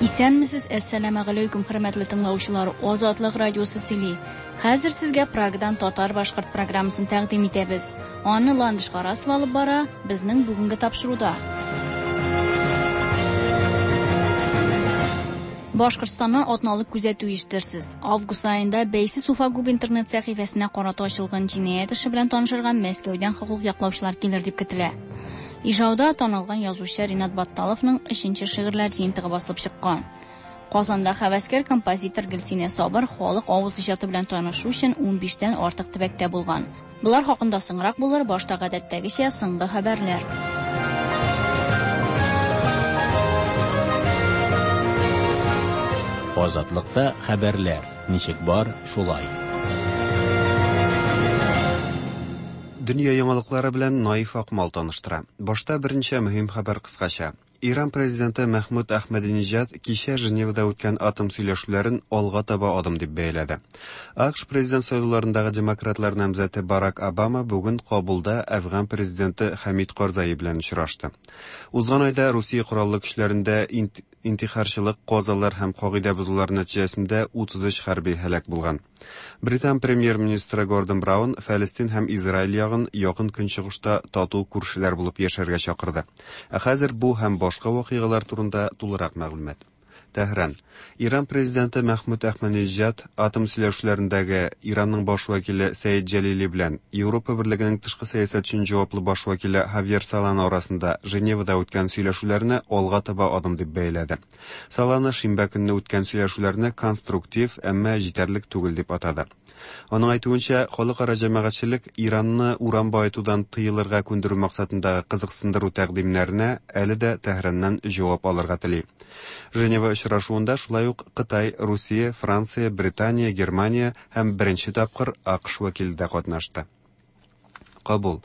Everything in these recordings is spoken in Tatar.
Исәнмесез, әссәламәгаләйкүм, хөрмәтле тыңлаучылар! Азатлык радиосы сөйли. Хәзер сезгә Прагадан татар-башкорт программасын тәкъдим итәбез. Аны Ландыш Гарасова алып бара, безнең бүгенге тапшыруда. Башкортстаннан атналык күзәтү ишетерсез. Август аенда бәйсез Уфагуб интернет сәхифәсенә карата ачылган җинаять эше белән танышырга Мәскәүдән хокук яклаучылар килер дип көтелә. Ижауда танылган язучы Ринат Батталовның өченче шигырьләр җыентыгы басылып чыккан. Казанда хәвәскәр композитор Гөлсинә Сабыр халык авыз иҗаты белән танышу өчен 15тән артык төбәктә булган. Болар хакында соңрак булыр, башта гадәттәгечә соңгы хәбәрләр. Азатлыкта хәбәрләр, ничек бар, шулай. Дөнья яңалыклары белән Наиф Акмал таныштыра. Башта берничә мөһим хәбәр кыскача. Иран президенты Мәхмүд Әхмәдиниҗад кичә Женевада үткән атом сөйләшүләрен алга таба адым дип бәяләде. АКШ президент сайлауларындагы демократлар намзәте Барак Обама бүген Кабулда Әфган президенты Хәмид Карзаи белән очрашты. Узган айда Русия кораллы көчләрендә интихарчылык, казалар һәм кагыйдә бозулар нәтиҗәсендә 33 хәрби һәлак булган. Британ премьер-министры Гордон Браун Фәлестин һәм Израиль ягын Якын Көнчыгышта тату күршеләр булып яшәргә чакырды. Ә хәзер бу һәм башка вакыйгалар турында тулырак мәгълүмат. Тәһран. Иран президенты Мәхмүд Әхмәдиниҗад атом сөйләшүләрендәге Иранның баш вәкиле Сәид Җәлили белән Европа Берлегенең тышкы сәясәт өчен җаваплы баш вәкиле Хавьер Солана арасында Женевада үткән сөйләшүләрне алга таба адым дип бәяләде. Солана шимбә көнне үткән сөйләшүләрне конструктив, әмма җитәрлек түгел дип атады. Аның әйтүенчә, халыкара җәмәгатьчелек Иранны уран баетудан тыелырга күндерү максатындагы кызыксындыру тәкъдимнәренә әле дә Тәһраннан җавап алырга тели. Женева очрашуында шулай ук Кытай, Русия, Франция, Британия, Германия һәм беренче тапкыр АКШ вәкиле дә катнашты. Кабул.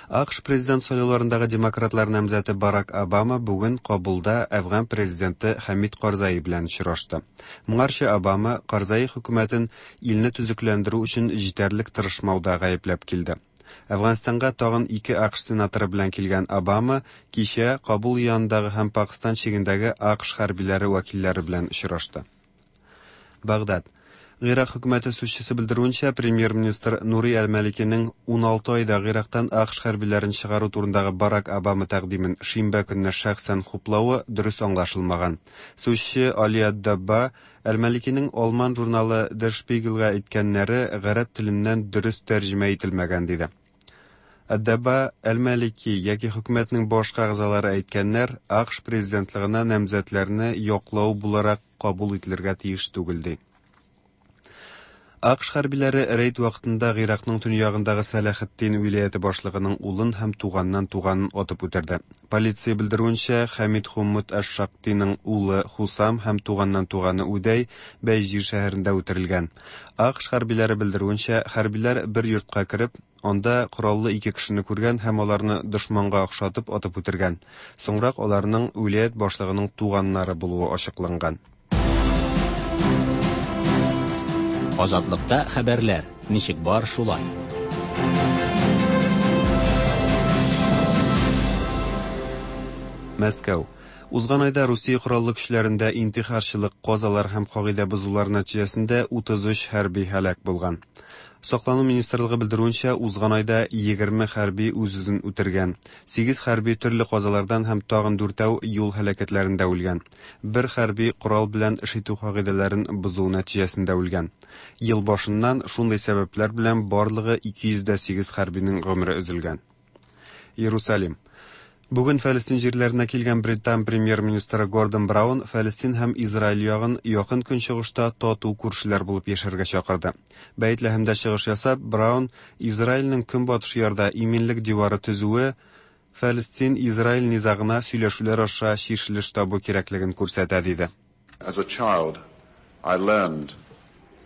АКШ президент сайлауларындагы демократлар намзәте Барак Обама бүген Кабулда Әфган президенты Хәмид Карзаи белән очрашты. Моңарчы Обама Карзаи хөкүмәтен илне төзекләндерү өчен җитәрлек тырышмауда гаепләп килде. Әфганстанга тагын ике АКШ сенаторы белән килгән Обама кичә Кабул янындагы һәм Пакстан чигендәге АКШ хәрбиләре вәкилләре белән очрашты. Багдад. Гыйрак хөкүмәте сүзчесе белдерүенчә, премьер-министр Нури әл-Маликиның 16 айда Гыйрактан АКШ хәрбиләрен чыгару турындагы Барак Обама тәкъдимен шимбә көнне шәхсән хуплавы дөрес аңлашылмаган. Сүзче Али ад-Дабба әл-Маликиның алман журналы Der Spiegelга әйткәннәре гарәп теленнән дөрес тәрҗемә ителмәгән, диде. Ад-Дабба әл-Малики яки хөкүмәтнең башка әгъзалары әйткәннәр АКШ президентлыгына намзәтләрне яклау буларак кабул ителергә тиеш түгел, ди. АКШ хәрбиләре рейд вакытында Гыйракның төньягындагы Сәләхетдин вилаяте башлыгының улын һәм туганнан туганын атып үтерде. Полиция белдерүенчә, Хәмид Хуммут аш-Шактиның улы Хусам һәм туганнан туганы Үдәй Бәйҗир шәһәрендә үтерелгән. АКШ хәрбиләре белдерүенчә, хәрбиләр бер йортка кереп, анда кораллы ике кешене күргән һәм аларны дошманга охшатып атып үтергән. Соңрак аларның вилаять башлыгының туганнары булуы ачыкланган. Азатлыкта хәбәрләр, ничек бар, шулай. Мәскәү. Узган айда Русия кораллы көчләрендә интихарчылык, казалар һәм кагыйдә бозулар нәтиҗәсендә 33 хәрби һәлак булган. Саклану министрлыгы белдерүенчә, узган айда 20 хәрби үз-үзен үтергән. 8 хәрби төрле казалардан һәм тагын дүртәү юл һәлакәтләрендә үлгән. Бер хәрби корал белән эш итү кагыйдәләрен бозу нәтиҗәсендә үлгән. Ел башыннан шундый сәбәпләр белән барлыгы 208 хәрбинең гомере өзелгән. Иерусалим. Бүген Фәлестин җирләренә килгән Британ премьер-министры Гордон Браун Фәлестин һәм Израиль ягын Якын Көнчыгышта тату күршеләр булып яшәргә чакырды. Бәйтләһемдә чыгыш ясап, Браун Израильнең көнбатыш ярда иминлек дивары төзүе Фәлестин-Израиль низагына сөйләшүләр аша чишелеш табу кирәклеген күрсәтә, диде. As a child, I learned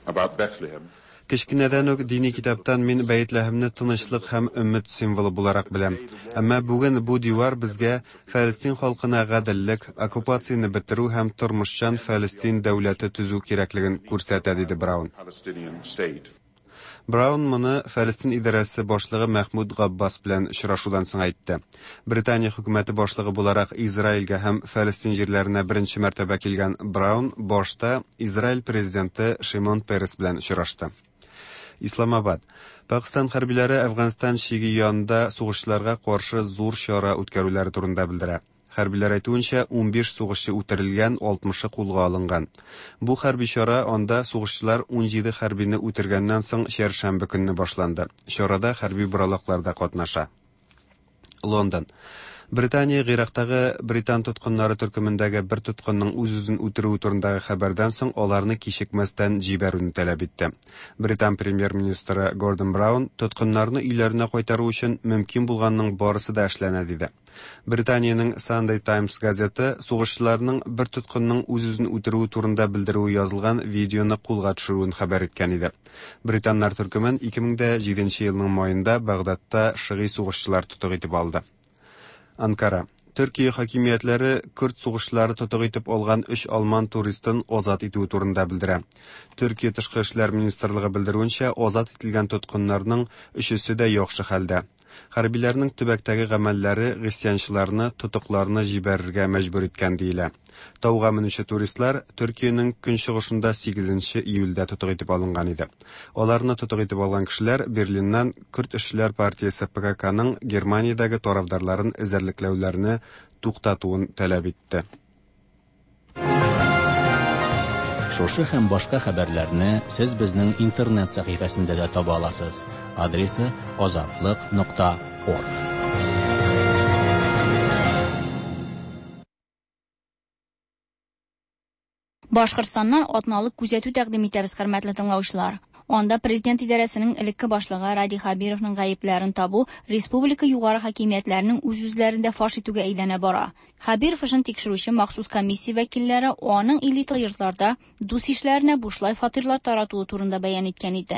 about Bethlehem. Кечкенәдән үк дини китаптан мин Бәйтләһемне тынычлык һәм өмет символы буларак беләм. Әмма бүген бу дивар безгә Фәлестин халкына гаделлек, оккупацияне бетерү һәм тормышчан Фәлестин дәүләте төзү кирәклеген күрсәтә, диде Браун. Palestinian state. Браун моны Фәлестин идарәсе башлыгы Мәхмүд Габбас белән очрашудан соң әйтте. Британия хөкүмәте башлыгы буларак Израильгә һәм Фәлестин җирләренә беренче мәртәбә килгән Браун башта Израиль президенты Шимон Перес белән очрашты. Исламабад. Пакстан хәрбиләре Әфганстан чиге янында сугышчыларга каршы зур чара үткәрүләре турында белдерә. Хәрбиләр әйтүенчә, 15 сугышчы үтерелгән, 60-ы кулга алынган. Бу хәрби чара анда сугышчылар 17 хәрбине үтергәннән соң чәршәмбе көнне башланды. Чарада хәрби боралаклар да катнаша. Лондон. Британия Гыйрактагы британ тоткыннары төркемендәге бер тоткынның үз-үзен үтерүе турындагы хәбәрдән соң аларны кичекмәстән җибәрүне таләп итте. Британ премьер-министры Гордон Браун тоткыннарны өйләренә кайтару өчен мөмкин булганның барысы да эшләнә диде. Британиянең Sunday Times газеты сугышчыларның бер тоткынның үз-үзен үтерүе турында белдерүе язылган видеоны кулга төшерүен хәбәр иткән иде. Британнар төркемен 2007 елның маенда Багдадта шыгый сугышчылар тотык итеп алды. Анкара. Төркия хакимиятләре көрд сугышчылары тотык итеп алган өч алман туристын азат итүе турында белдерә. Төркия тышкы эшләр министрлыгы белдерүенчә, азат ителгән тоткыннарның өчесе дә яхшы хәлдә. Хәрбиләрнең төбәктәге гамәлләре гыйсьянчыларны тотыкларны җибәрергә мәҗбүр иткән диелә. Тауга менүче туристлар Төркиянең көнчыгышында 8 июльдә тотык итеп алынган иде. Аларны тотык итеп алган кешеләр Берлиннан Көрд эшчеләр партиясе ПККның Германиядәге тарафдарларын эзәрлекләүләрне туктатуын таләп итте. Шушы һәм башка хәбәрләрне сез безнең интернет сәхифәсендә дә таба аласыз. Адресы azatliq.org. Башкортстаннан атналык күзәтү тәкъдим итәбез, хөрмәтле тыңлаучылар. Анда президент идарәсенең элекке башлыгы Радий Хәбировның гаепләрен табу республика югары хакимиятләренең үз-үзләрен дә фаш итүгә әйләнә бара. Хәбиров эшен тикшерүче махсус комиссия вәкилләре аның элита йортларда дус-ишләренә бушлай фатирлар таратуы турында бәян иткән иде.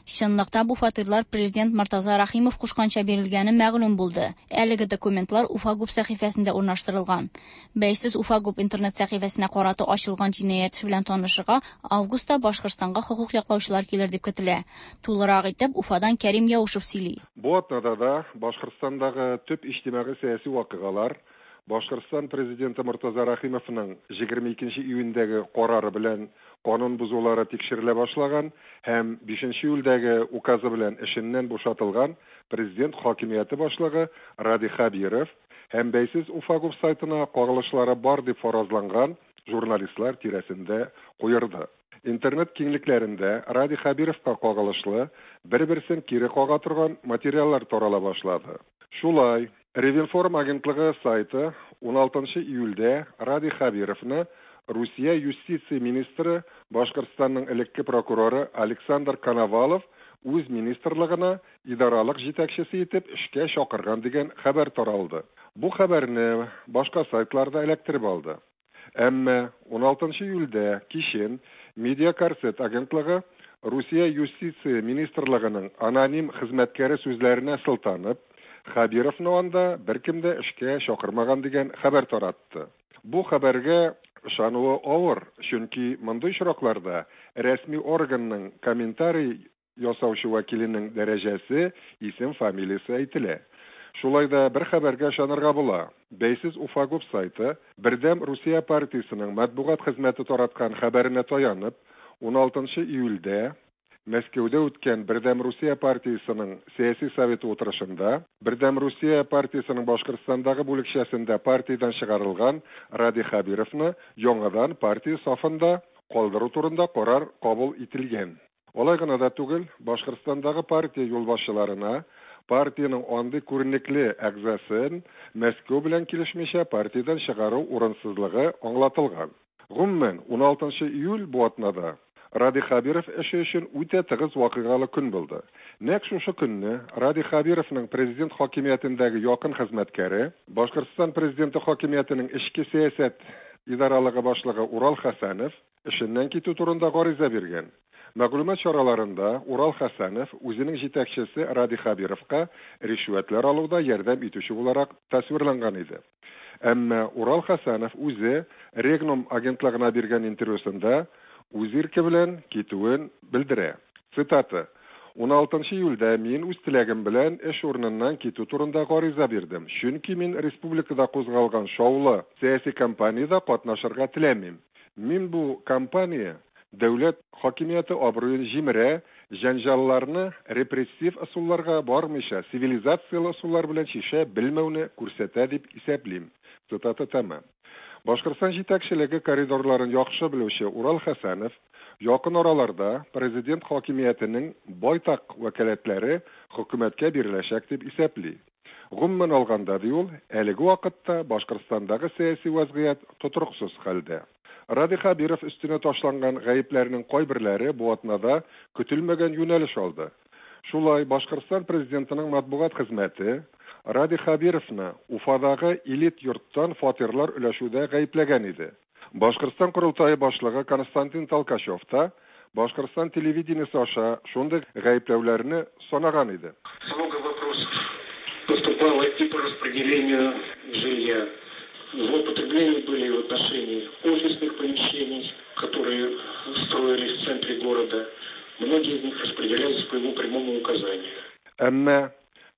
Чынлыкта бу фатирлар президент Мортаза Рәхимов кушканча бирелгәне мәгълүм булды. Әлеге документлар Уфагуб сәхифәсендә урнаштырылган. Бәйсез Уфагуб интернет сәхифәсенә карата ачылган җинаять эше белән танышырга августта Башкортстанга хокук яклаучылар килер дип көтелә. Тулырак итеп Уфадан Кәрим Яушев сөйли. Бу атнада да Башкортстандагы төп иҗтимагый-сәяси вакыйгалар Башкортстан Президенты Мортаза Рәхимовның 22 нче июньдәге карары белән канун бозулары тикшерелә башлаган һәм бишенче июльдәге указы белән эшеннән бушатылган президент хакимияте башлыгы Радий Хәбиров һәм бәйсез Уфагуб сайтына кагылышлары бар дип фаразланган журналистлар тирәсендә куерды. Интернет киңлекләрендә Радий Хәбировка кагылышлы бер-берсен кире кага торган материаллар тарала башлады. Шулай, Ревинформ агентлыгы сайты уналтынчы июльдә Радий Хәбировны Русия юстиция министры, Башкортстанның элекке прокуроры Александр Коновалов үз министрлыгына идаралык җитәкчесе итеп эшкә чакырган дигән хәбәр таралды. Бу хәбәрне башка сайтлар да эләктереп алды. Әмма уналтынчы июльдә кичен Медиакорсет агентлыгы Русия юстиция министрлыгының аноним хезмәткәре сүзләренә сылтанып, Хәбировны анда беркем дә эшкә чакырмаган дигән хәбәр таратты. Бу хәбәргә ышануы авыр, чөнки мондый очракларда рәсми органның комментарий ясаучы вәкиленең дәрәҗәсе, исем-фамилиясе әйтелә. Шулай да бер хәбәргә ышанырга була, бәйсез Уфагуб сайты Бердәм Русия партиясенең матбугат хезмәте тараткан хәбәренә таянып, уналтынчы июльдә Мәскәүдә үткән Бердәм Русия партиясенең сәяси советы утырышында Бердәм Русия партиясенең Башкортстандагы бүлекчәсендә партиядән чыгарылган Радий Хәбировны яңадан партия сафында калдыру турында карар кабул ителгән. Алай гына да түгел, Башкортстандагы партия юлбашчыларына партиянең андый күренекле әгъзасын Мәскәү белән килешмичә партиядән чыгару урынсызлыгы аңлатылган. Гомумән, уналтынчы июль бу атнада Радий Хәбиров эше өчен үтә тыгыз вакыйгалы көн булды. Нәкъ шушы көнне Радий Хәбировның президент хакимиятендәге якын хезмәткәре, Башкортстан президенты хакимиятенең эчке сәясәт идаралыгы башлыгы Урал Хәсәнов эшеннән китү турында гариза биргән. Мәгълүмат чараларында Урал Хәсәнов үзенең җитәкчесе Радий Хәбировка ришвәтләр алуда ярдәм итүче буларак тасвирланган иде. Әмма Урал Хәсәнов үзе Регнум агентлыгына биргән интервьюсында үз ирке белән китүен белдерә. Цитата, 16 июльдә мин үз теләгем белән эш урыныннан китү турында гариза бирдем, чөнки мин республикада кузгалган шаулы сәяси кампаниядә катнашырга теләмим. Мин бу кампания дәүләт хакимияте абруен җимерә, җәнҗалларны репрессив ысулларга бармыйча цивилизацияле ысуллар белән чишә белмәүне күрсәтә дип исәплим. Цитата тәмам. Башкортстан җитәкчелеге коридорларын яхшы белүче Урал Хәсәнов якын араларда президент хакимиятенең байтак вәкаләтләре хөкүмәткә биреләчәк дип исәпли. Гомумән алганда, ди ул, әлеге вакытта Башкортстандагы сәяси вәзгыять тотрыксыз хәлдә. Радий Хәбиров өстенә ташланган гаепләрнең кайберләре бу атнада көтелмәгән юнәлеш алды. Шулай, Башкортстан президентының матбугат хезмәте Радий Хәбировны Уфадагы элит йорттан фатирлар өләшүдә гаепләгән иде. Башкортстан Корылтае башлыгы Константин Толкачев та Башкортстан телевидениесе аша шундый гаепләүләрне санаган иде. Много вопросов поступало и по распределению жилья. Злоупотребления были в отношении офисных помещений, которые строились в центре города. Многие из них распределялись по его прямому указанию. Әмма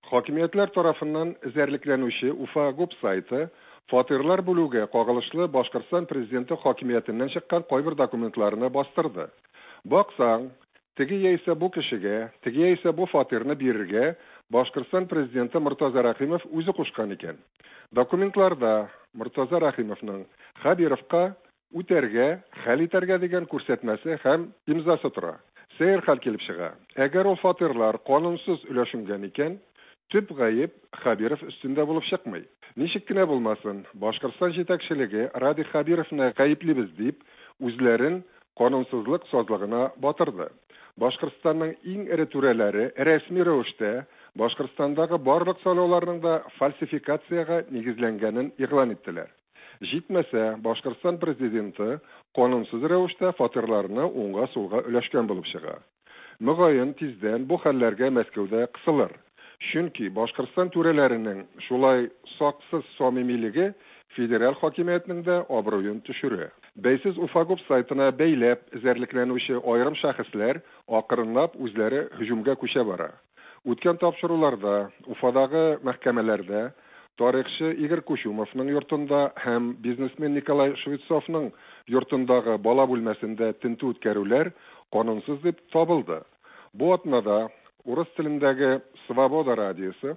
хакимиятләр тарафыннан эзәрлекләнүче Уфа ГУП сайты фатирлар бүлүгә кагылышлы Башкортстан президенты хакимиятеннән чыккан кайбер документларны бастырды. Баксаң, теге яисә бу кешегә, теге яисә бу фатирны бирергә Башкортстан президенты Мортаза Рәхимов үзе кушкан икән. Документларда Мортаза Рәхимовның Хәбировка үтәргә, хәл итәргә дигән күрсәтмәсе һәм имзасы тора. Сәер хәл килеп чыга. Әгәр ул фатирлар канунсыз өләшенгән икән, төп гаеп Хәбиров өстендә булып чыкмый. Ничек кенә булмасын, Башкортстан җитәкчелеге Радий Хәбировны гаеплибез дип, үзләрен канунсызлык сазлыгына батырды. Башкортстанның иң эре түрәләре рәсми рәвештә Башкортстандагы барлык сайлауларның да фальсификациягә нигезләнгәнен игълан иттеләр. Җитмәсә, Башкортстан президенты канунсыз рәвештә фатирларны уңга-сулга өләшкән булып чыга. Мөгаен, тиздән бу хәлләргә Мәскәүдә кысылыр. Чөнки Башкортстан түрәләренең шулай саксыз самимилеге федераль хакимиятнең дә абруен төшерә. Бәйсез Уфагуб сайтына бәйләп эзәрлекләнүче аерым шәхесләр акрынлап үзләре һөҗүмгә күчә бара. Үткән тапшыруларда Уфадагы мәхкәмәләрдә тарихчы Игорь Кучумовның йортында һәм бизнесмен Николай Швецовның йортындагы бала бүлмәсендә тентү үткәрүләр канунсыз дип табылды. Бу атнада урыс телендәге Свобода радиосы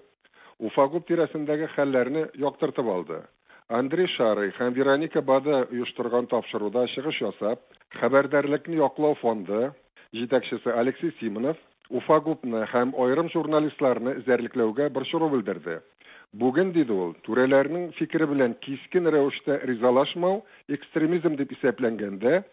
Уфагуб тирәсендәге хәлләрне яктыртып алды. Андрей Шарый һәм Вероника Бада оештырган тапшыруда чыгыш ясап, хәбәрдарлекне яклау фонды җитәкчесе Алексей Симонов Уфагубны һәм аерым журналистларны эзәрлекләүгә борчылу белдерде. Бүген, диде ул, түрәләрнең фикере белән кискен рәвештә ризалашмау экстремизм дип исәпләнгәндә,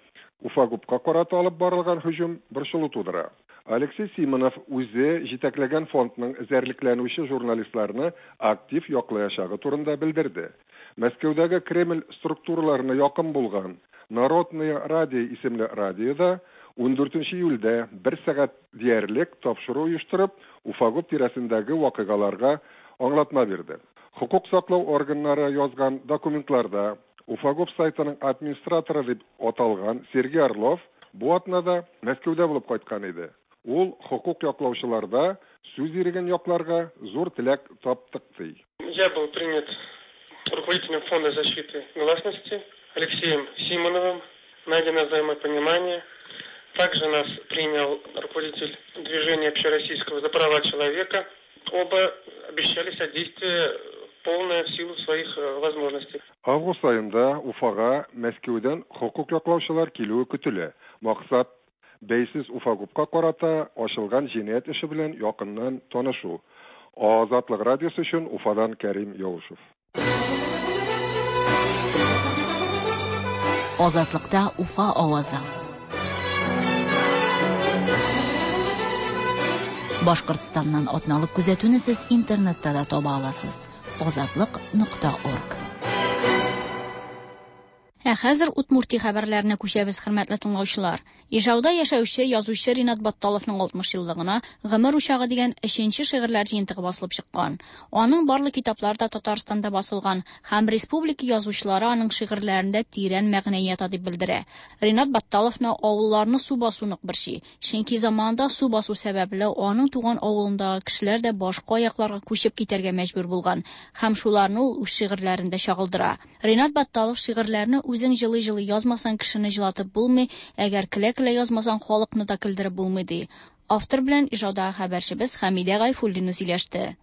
Уфагубка карата алып барылган һөҗүм борчылу тудыра. Алексей Симонов үзе җитәкләгән фондның эзәрлекләнүче журналистларны актив яклаячагы турында белдерде. Мәскәүдәге Кремль структураларына якын булган Народное радио исемле радиода 14 июльдә бер сәгать диярлек тапшыру оештырып, Уфагуб тирәсендәге вакыйгаларга аңлатма бирде. Хокук саклау органнары язган документларда Уфагуб сайтының администраторы дип аталган Сергей Орлов бу атнада Мәскәүдә булып кайткан иде. Ул хокук яклаучыларда сүз иреген якларга зур теләк таптык ди. Я был принят руководителем Фонда защиты гласности Алексеем Симоновым. Найдено взаимопонимание. Также нас принял руководитель движения общероссийского за права человека. Оба обещали содействие полное в силу своих возможностей. Август аенда Уфага Мәскәүдән хокук яклаучылар килүе көтелә. Максат бәйсез Уфагубка карата ачылган җинаять эше белән якыннан танышу. Азатлык радиосы өчен Уфадан Кәрим Яушев. Азатлыкта Уфа авазы. Башкортстаннан атналык күзәтүне сез интернетта да таба аласыз. Азатлык.орг. Ә хәзер Удмуртия хәбәрләренә күчәбез, хөрмәтле тыңлаучылар. Ижауда яшәүче язучы Ринат Батталовның 60 еллыгына Гомер учагы дигән өченче шигырьләр җыентыгы басылып чыккан. Аның барлык китаплары да Татарстанда басылган һәм республика язучылары аның шигырьләрендә тирән мәгънә ята дип белдерә. Ринат Батталовны авылларны су басу нык борчый. Чөнки заманында су басу сәбәпле аның туган авылындагы кешеләр дә башка якларга күчеп китәргә мәҗбүр булган һәм шуларны ул үз шигырьләрендә чагылдыра. Ринат Батталов шигырьләрне үзең җылый-җылый язмасаң кешене җылатып булмый, әгәр көлә-көлә язмасаң халыкны да көлдереп булмый, ди. Автор белән Ижаудагы хәбәрчебез Хәмидә Гайфуллина сөйләште.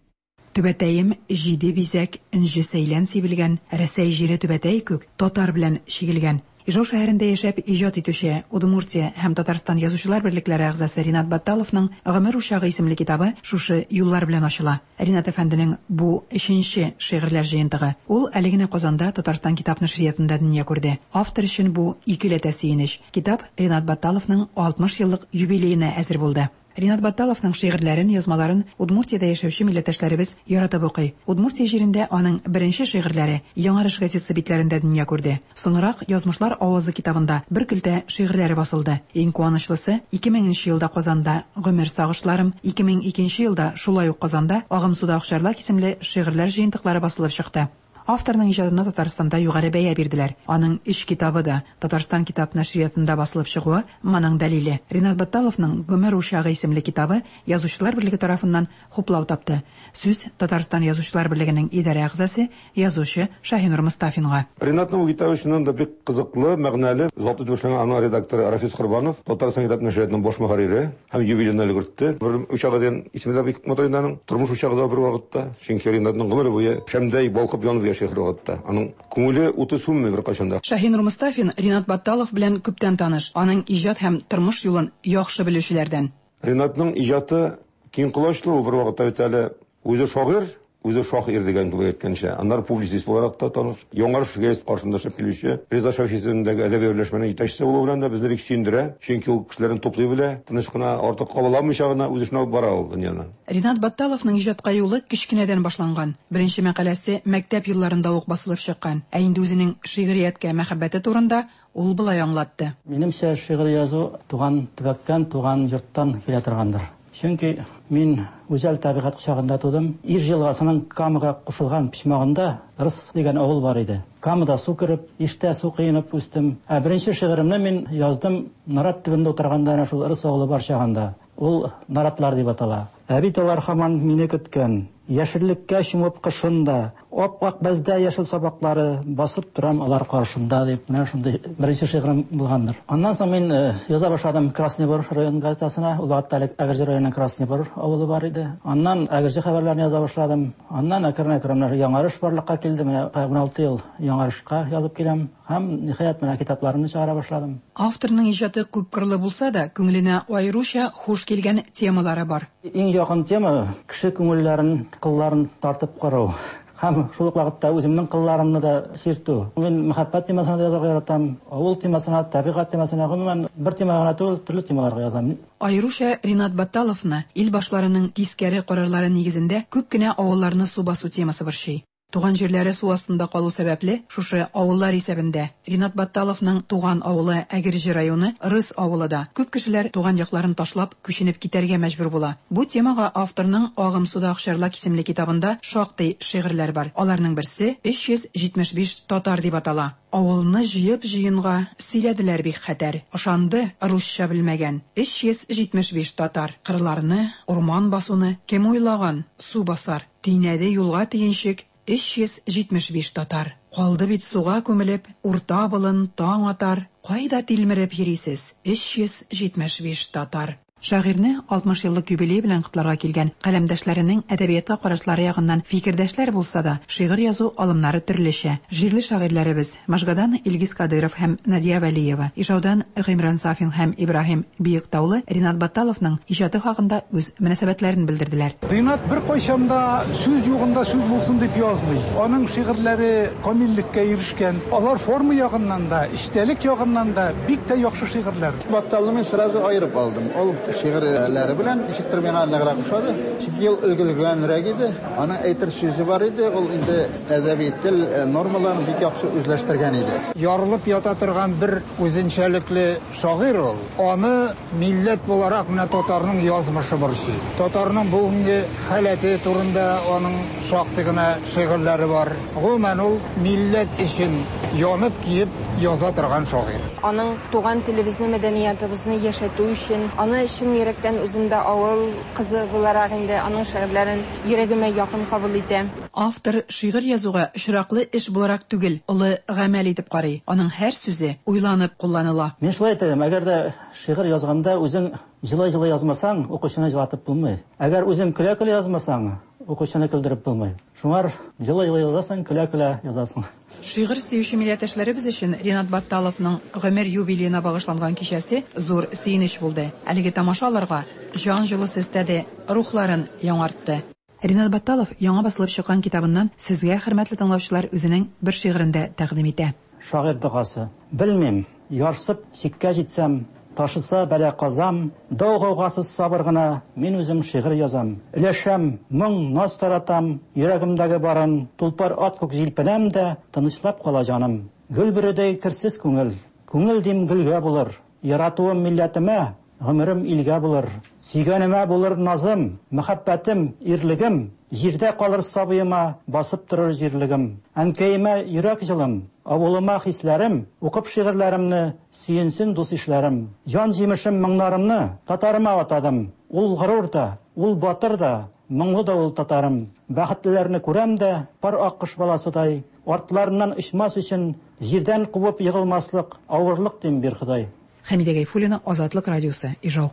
Түбәтәем җиде бизәк, энҗе сәйлән сибелгән, Рәсәй җире түбәтәй күк, татар белән чигелгән. Ижау шәһәрендә яшәп иҗат итүче Удмуртия һәм Татарстан Язучылар берлекләре әгъзасы Ринат Батталовның Гомер учагы исемле китабы шушы юллар белән ачыла. Ринат әфәнденең бу өченче шигырьләр җыентыгы. Ул әле генә Казанда Татарстан китап нәшриятында дөнья күрде. Автор өчен бу икеләтә сөенеч. Китап Ринат Батталовның 60 еллык юбилеена әзер булды. Ринат Батталовның шигырьләрен, язмаларын Удмуртиядә яшәүче милләттәшләребез яратып укый. Удмуртия җирендә аның беренче шигырьләре Яңарыш газетасы битләрендә дөнья күрде. Соңрак Язмышлар авазы китабында бер көлтә шигырьләре басылды. Иң куанычлысы, 2000 нче елда Казанда Гомер сагышларым, 2002 елда шулай ук Казанда Агымсуда акчарлак исемле шигырьләр җыентыклары басылып чыкты. Авторның иҗатына Татарстанда югары бәя бирделәр. Аның өч китабы да Татарстан китап нәшриятында басылып чыгуы моның дәлиле. Ринат Батталовның Гомер учагы исемле китабы Язучылар берлеге тарафыннан хуплау тапты. Сүз Татарстан Язучылар берлегенең идарә әгъзасы, язучы Шаһинур Мостафинга. Ринатның бу китабы чыннан да бик кызыклы, мәгънәле. Затлы итеп эшләнгән аның редакторы Рафис Корбанов, Татарстан китап нәшриятының баш мөхәррире һәм юбилейны өлгертте. Гомер учагы дигән исеме дә бик матур инде аның. Тормыш учагы да бер вакытта. Чөнки Ринатның гомере буе шәмдәй балкып янып яши һәр вакытта. Аның күңеле уты сүнми беркайчан да. Шаһинур Мостафин Ринат Батталов белән күптән таныш, аның иҗат һәм тормыш юлын яхшы белүчеләрдән. Ринатның иҗаты киң колачлы, ул бер вакытта бит әле үзе шагыйрь, үзе шаһ ир дигән кебек әйткәнчә. Аннары публицист буларак та таныш. Яңарыш газетасы каршында эшләп килүче Риза Шәфи исемендәге әдәби берләшмәнең җитәкчесе булуы белән дә безне бик сөендерә. Чөнки ул кешеләрне туплый белә, тыныч кына, артык кабаламыйча гына үз эшен алып бара ул дөньяны. Ринат Батталовның иҗатка юлы кечкенәдән башланган. Беренче мәкаләсе мәктәп елларында ук басылып чыккан. Ә инде үзенең шигърияткә мәхәббәте турында ул болай аңлатты. Минемчә, шигырь язу туган төбәктән, туган йорттан килә торгандыр. Чөнки мин гүзәл табигать кочагында тудым. Иж елгасының Камага кушылган почмагында Рыс дигән авыл бар иде. Камада су кереп, Иштә су коенып үстем. Ә беренче шигыремне мин яздым нарат төбендә утырганда, әнә шул Рыс авылы бар чагында. Ул Наратлар дип атала. Ә бит алар һаман мине көткән. Яшеллеккә чумып кышын да, ап-ак бәздә яшел сабаклары, басып торам алар каршында, дип, менә шундый беренче шигырем булгандыр. Аннан соң мин яза башладым Красный Бор район газетасына, ул вакытта әле Әгерҗе районының Красный Бор авылы бар иде. Аннан Әгерҗе хәбәрләрен яза башладым. Аннан әкрен-әкрен менә Яңарыш барлыкка килде, менә 16 ел Яңарышка язып киләм. Һәм, ниһаять, менә китапларымны чыгара башладым. Авторның иҗаты күпкырлы булса да, күңеленә аеруча хуш килгән темалары бар. Иң якын тема, кеше күңелләрен, кылларын тартып карау. Һәм шул ук вакытта үземнең кылларымны да чиртү. Мин мәхәббәт темасына да язарга яратам, авыл темасына, табигать темасына, гомумән, бер темага гына түгел, төрле темаларга язам. Аеруча Ринат Батталовны ил башларының тискәре карарлары нигезендә күп кенә авылларны су басу темасы борчый. Туган җирләре су астында калу сәбәпле, шушы авыллар исәбендә Ринат Батталовның туган авылы Әгерҗе районы Рыс авылы да. Күп кешеләр туган якларын ташлап, күченеп китәргә мәҗбүр була. Бу темага авторның Агымсуда акчарлак исемле китабында шактый шигырьләр бар. Аларның берсе 375 татар дип атала. Авылны җыеп җыенга сөйләделәр бик хәтәр. Ышанды русча белмәгән 375 татар. Кырларны, урман басуны кем уйлаган, су басар. Төйнәде юлга төенчек 375 татар. Калды бит суга күмелеп, урта болын таң атар. Кайда тилмереп йөрисез, 375 татар. Шагыйрьне 60 еллык юбилее белән котларга килгән каләмдәшләренең әдәбиятка карашлары ягыннан фикердәшләр булса да, шигырь язу алымнары төрлечә. Җирле шагыйрьләребез Можгадан Илгиз Кадыйров һәм Надия Вәлиева, Ижаудан Гыймран Сафин һәм Ибраһим Биектаулы Ринат Батталовның иҗаты хакында үз мөнәсәбәтләрен белдерделәр. Ринат беркайчан да сүз югында сүз булсын дип язмый. Аның шигырьләре камиллеккә ирешкән. Алар форма ягыннан да, эчтәлек ягыннан да бик тә яхшы шигырьләр. Батталны мин сразу аерып алдым. Ул шигырьләре белән ничектер миңа ныграк ошады. Чөнки ул өлгергәнрәк иде, аның әйтер сүзе бар иде, ул инде әдәби тел нормаларын бик яхшы үзләштергән иде. Ярылып ята торган бер үзенчәлекле шагыйрь ул. Аны милләт буларак менә татарның язмышы борчый. Татарның бүгенге халәте турында аның шактый гына шигырьләре бар. Гомумән, ул милләт өчен янып-көеп яза торган шагыйрь. Аның туган телебезне, мәдәниятыбызны яшәтү өчен, аны чын йөрәктән үзем дә авыл кызы буларак инде аның шигырьләрен йөрәгемә якын кабул итәм. Автор шигырь язуга очраклы эш буларак түгел, олы гамәл итеп карый. Аның һәр сүзе уйланып кулланыла. Мин шулай әйтә идем, әгәр дә шигырь язганда үзең җылый-җылый язмасаң, укучыны җылатып булмый. Әгәр үзең көлә-көлә язмасаң, укучыны көлдереп булмый. Шуңар җылый-җылый язасың, көлә-көлә язасың. Шигырь сөюче милләттәшләребез өчен Ринат Батталовның гомер юбилеена багышланган кичәсе зур сөенеч булды. Әлеге тамаша аларга җан җылысы өстәде, рухларын яңартты. Ринат Батталов яңа басылып чыккан китабыннан сезгә, хөрмәтле тыңлаучылар, үзенең бер шигырен дә тәкъдим итә. Шагыйрь догасы. Белмим, ярсып чиккә җитсәм, Ташыса бәла-казам, Дау-гаугасыз сабыр гына Мин үзем шигырь язам. Өләшәм, моң, наз таратам, Йөрәгемдәге барын, Тулпар ат күк җилпенәм дә, Тынычлап кала җаным. Гөл бөредәй керсез күңел, Күңел дим гөлгә булыр. Яратуым милләтемә, Гомерем илгә булыр. Сөйгәнемә булыр назым, Мәхәббәтем, ирлегем, Җирдә калыр сабыема, Басып торыр җирлегем. Әнкәемә йөрәк җылым, Авылыма хисләрем, Укып шигырьләремне, Сөенсен дус-ишләрем. Җан җимешем моңнарымны Татарыма атадым. Ул горур да, ул батыр да, Моңлы да ул татарым. Бәхетлеләрне күрәм дә, Пар аккош баласыдай, Артларыннан очмас өчен, Җирдән кубып егылмаслык Авырлык дим, бир Ходай. Хәмидә Гайфуллина, Азатлык радиосы, Ижау.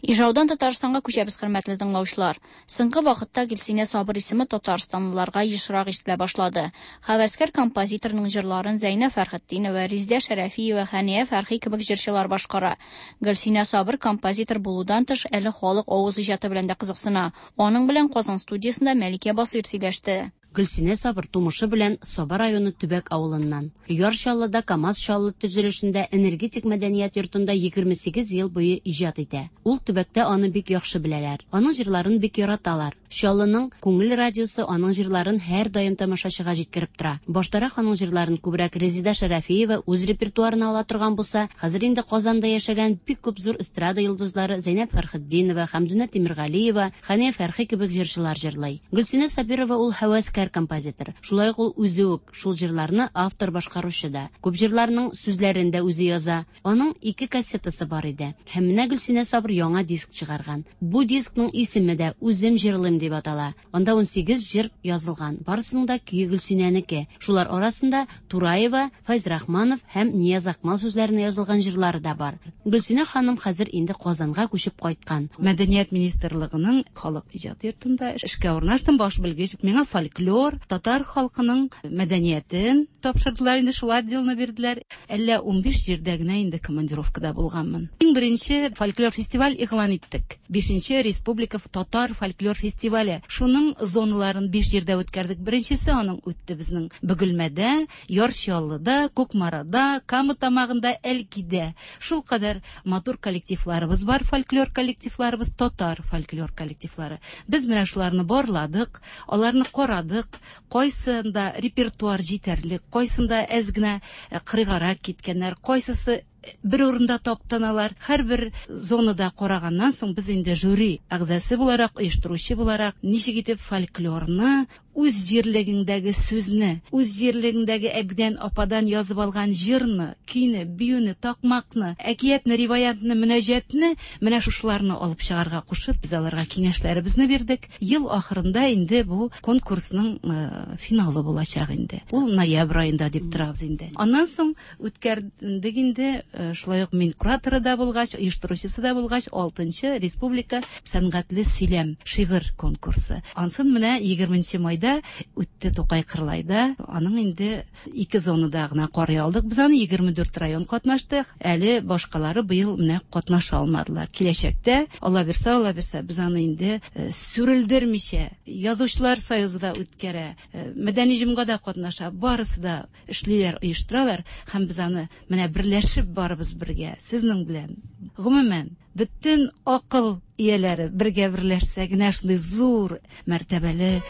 Ижаудан Татарстанга күчәбез, хөрмәтле тыңлаучылар. Соңгы вакытта Гөлсинә Сабыр исеме татарстанлыларга ешрак ишетелә башлады. Һәвәскәр композиторның җырларын Зәйнә Фәрхетдинова, Резидә Шәрәфиева, Хәния Фәрхи кебек җырчылар башкара. Гөлсинә Сабыр композитор булудан тыш, әле халык авыз иҗаты белән дә кызыксына. Аның белән Казан студиясендә Мәликә Басыйр сөйләште. Гөлсинә Сабыр тумышы белән Саба районы Төбәк авылыннан. Яр Чаллыда КАМАЗ Чаллы төзелешендә Энергетик мәдәният йортында 28 ел буе иҗат итә. Ул төбәктә аны бик яхшы беләләр. Аның җырларын бик яраталар. Чаллының Күңел радиосы аның җырларын һәрдаим тамашачыга җиткереп тора. Баштарак аның җырларын күбрәк Резеда Шәрәфиева үз репертуарына ала торган булса, хәзер инде Казанда яшәгән бик күп зур эстрада йолдызлары Зәйнәб Фәрхетдинова, Хәмдүнә Тимергалиева, Хәния Фәрхи кебек җырчылар җырлый. Гөлсинә Сабирова ул һәвәскәр композитор. Шулай ук ул үзе үк шул җырларны автор-башкаручы да. Күп җырларның сүзләрен дә үзе яза. Аның ике кассетасы бар иде. Һәм менә Гөлсинә Сабыр яңа диск чыгарган. Бу дискның исеме дә Үзем җырлыйм дип атала. Анда 18 җыр язылган. Барысының да көе Гөлсинәнеке. Шулар арасында Тураева, Фәйзрахманов һәм Нияз Акмал сүзләренә язылган җырлары да бар. Гөлсинә ханым хәзер инде Казанга күчеп кайткан. Мәдәният министрлыгының халык иҗат йортында эшкә урнаштым, баш белгеч. Миңа фольклор, татар халкының мәдәниятен тапшырдылар инде, шул отделны бирделәр. Әллә 15 җирдә генә инде командировкада булганмын. Иң беренче фольклор фестиваль игълан иттек. Бишенче республика татар фольклор фестивале. Шуның зоналарын 5 җирдә үткәрдек. Беренчесе аның үтте безнең Бөгелмәдә, Яр Чаллыда, Кукмарада, Кама Тамагында, Әлкидә. Шул кадәр матур коллективларыбыз бар, фольклор коллективларыбыз, татар фольклор коллективлары. Без менә шуларны барладык, аларны карадык, кайсында репертуар җитәрлек, кайсында әз генә э, кырыйгарак киткәннәр, кайсысы бер урында таптаналар. Һәрбер зонада караганнан соң без инде жюри әгъзасы буларак, оештыручы буларак, ничек итеп фольклорны, үз җирлегеңдәге сүзне, үз җирлегеңдәге әбидән, ападан язып алган җырны, көйне, биюне, такмакны, әкиятне, риваятны, мөнәҗәтне, менә шушыларны алып чыгарга кушып, без аларга киңәшләребезне бирдек. Ел ахырында инде бу конкурсның э, финалы булачак инде. Ул ноябрь аенда дип торабыз инде. Аннан соң үткәрдек инде, э, шулай ук мин кураторы да булгач, оештыручысы да булгач, 6 республика сәнгатьле сөйләм, шигырь конкурсы. Ансын менә 20 майда Кырлайда үтте, Тукай Кырлайда. Аның инде ике зонада гына карый алдык. Без аны 24 район катнашты. Әле башкалары быел менә катнаша алмадылар. Киләчәктә, Алла бирсә, Алла бирсә, без аны инде сүрелдермичә, Язучылар союзы да үткәрә, Мәдәни җомга да катнаша, барысы да эшлиләр, оештыралар һәм без аны менә берләшеп барыбыз бергә, сезнең белән. Гомумән, бөтен акыл ияләре бергә берләшсә генә шундый зур мәртәбәле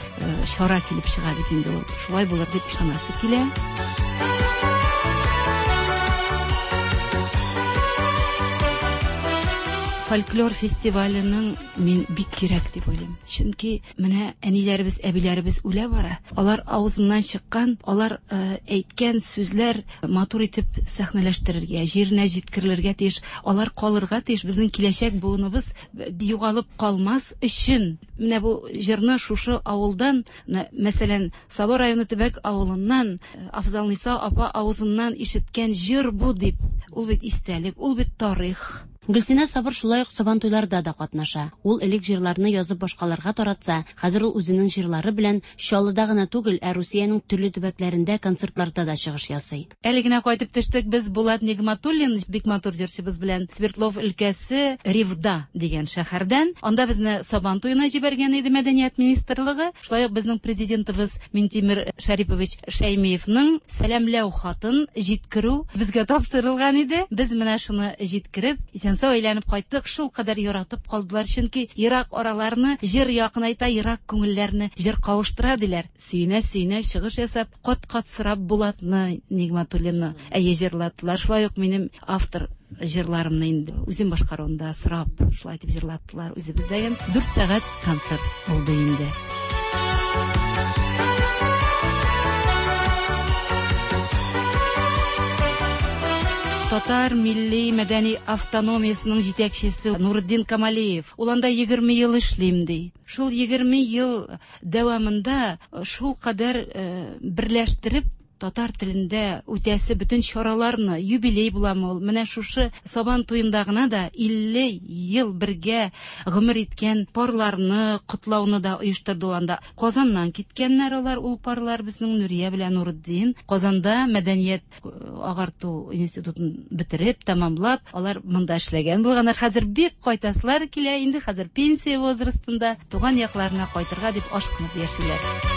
чара килеп чыга бит инде ул. Шулай булыр дип ышанасы килә. Фольклор фестиваленең мин бик кирәк дип уйлыйм. Чөнки менә әниләребез, әбиләребез үлә бара. Алар авызыннан чыккан, алар әйткән сүзләр матур итеп сәхнәләштерергә, җиренә җиткерелергә тиеш. Алар калырга тиеш. Безнең киләчәк буыныбыз югалып калмас өчен. Менә бу җырны шушы авылдан, мәсәлән, Саба районы Төбәк авылыннан Афзалниса апа авызыннан ишеткән җыр бу дип. Ул бит истәлек, ул бит тарих. Гөлсинә Сабыр шулай ук Сабантуйларда да катнаша. Ул элек җырларны язып башкаларга таратса, хәзер ул үзенең җырлары белән Чаллыда гына түгел, ә Русиянең төрле төбәкләрендә концертларда да чыгыш ясый. Әле генә кайтып төштек без Булат Нигъмәтуллин, бик матур җырчыбыз белән Свердлов өлкәсе Ревда дигән шәһәрдән. Анда безне Сабан туена җибәргән иде Мәдәният министрлыгы. Шулай ук безнең президентыбыз Минтимер Шәрипович Шәймиевның сәламләү хатын җиткерү безгә тапшырылган иде. Без менә шуны җиткереп, исән-сау әйләнеп кайттык. Шулкадәр яратып калдылар, чөнки ерак араларны җыр якынайта, ерак күңелләрне җыр кавыштыра, диләр. Сөенә-сөенә чыгыш ясап, кат-кат сорап Булатны Нигъмәтуллинны, әйе, җырлаттылар. Шулай ук минем автор җырларымны инде үзем башкаруында сорап, шулай итеп җырлаттылар. Үзебездәген 4 сәгать концерт булды инде. Татар милли мәдәни автономиясенең җитәкчесе Нуретдин Камалиев. Ул анда 20 ел эшлим ди. Шул 20 ел дәвамында шул кадәр берләштереп татар телендә үтәсе бөтен чараларны, юбилей буламы ул, менә шушы Сабан туенда гына да 50 ел бергә гомер иткән парларны котлауны да оештырды ул анда. Казаннан киткәннәр алар, ул парлар безнең Нурия белән Нуретдин. Казанда мәдәният агарту институтын бетереп, тәмамлап, алар монда эшләгән булганнар. Хәзер бик кайтасылар килә, инде хәзер пенсия возрастында, туган якларына кайтырга дип ашкынып яшиләр.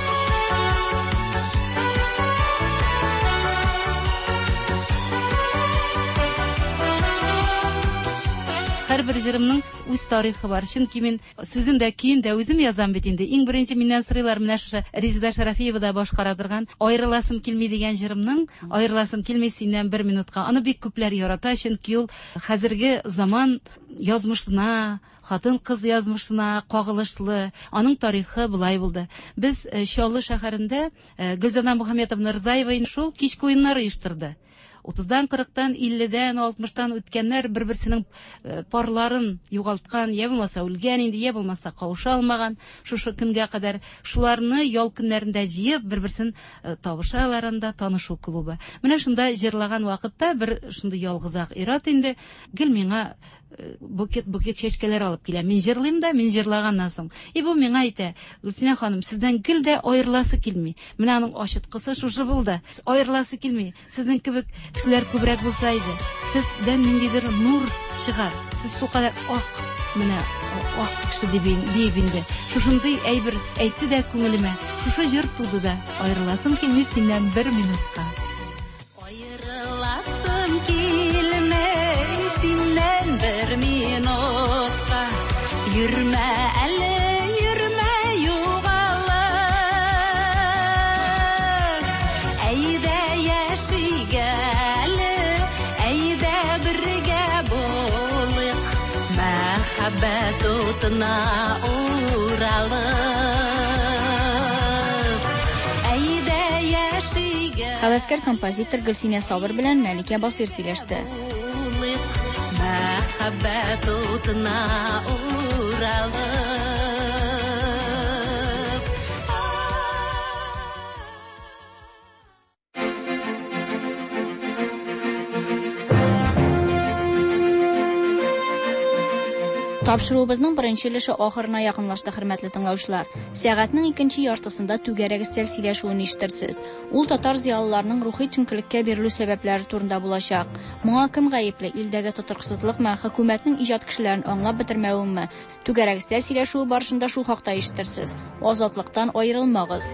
Һәрбер җырымның үз тарихы бар. Чөнки мин Сүзен дә, көен дә үзем язам бит инде. Иң беренче миннән сорыйлар, менә шушы Резеда Шәрафиева да башкара торган Аерыласым килми дигән җырымның, Аерыласым килми синнән бер минутка. Аны бик күпләр ярата, чөнки ул хәзерге заман язмышына, хатын-кыз язмышына кагылышлы. Аның тарихы болай булды. Без э, Чаллы шәһәрендә э, Гөлзада Мухаметовна Рзаева шул кичке уеннар оештырды. Утыздан, кырыктан, илледән, алтмыштан үткәннәр бер-берсенең э, парларын югалткан, я булмаса үлгән инде, я булмаса кавыша алмаган шушы көнгә кадәр. Шуларны ял көннәрендә җыеп, бер-берсен э, табышалар анда, танышу клубы. Менә шунда җырлаган вакытта бер шундый ялгызак ир-ат инде гел миңа букет-букет чәчкәләр алып килә. Мин җырлыйм да, мин җырлаганнан соң. И бу миңа әйтә, Гөлсинә ханым, сездән гел дә аерыласы килми. Менә аның ачыткысы шушы булды. Аерыласы килми. Сезнең кебек кешеләр күбрәк булса иде. Сездән ниндидер нур чыга. Сез шулкадәр ак, менә ак кеше дип диеп инде. Шушындый әйбер әйтте дә күңелемә. Шушы җыр туды да. Аерыласым килми синнән бер минутка. Аерыласым килми синнән бер минутка. Йөрмә әле, йөрмә югалып. Әйдә яшик әле, әйдә бергә булыйк. Мәхәббәт утына уралып. Әйдә яшик Һәвәскәр композитор Гөлсинә Сабыр белән Мәликә Басыйр сөйләште. Мәхәббәт утына уралып. Тапшыруыбызның беренче өлеше ахырына якынлашты, хөрмәтле тыңлаучылар. Сәгатьнең икенче яртысында түгәрәк өстәл сөйләшүен ишетерсез. Ул татар зыялыларының рухи төшенкелеккә бирелү сәбәпләре турында булачак. Моңа кем гаепле? Илдәге тотрыксызлыкмы, хөкүмәтнең иҗат кешеләрен аңлап бетермәвеме? Түгәрәк өстәл сөйләшүе барышында шул хакта ишетерсез. Азатлыктан аерылмагыз.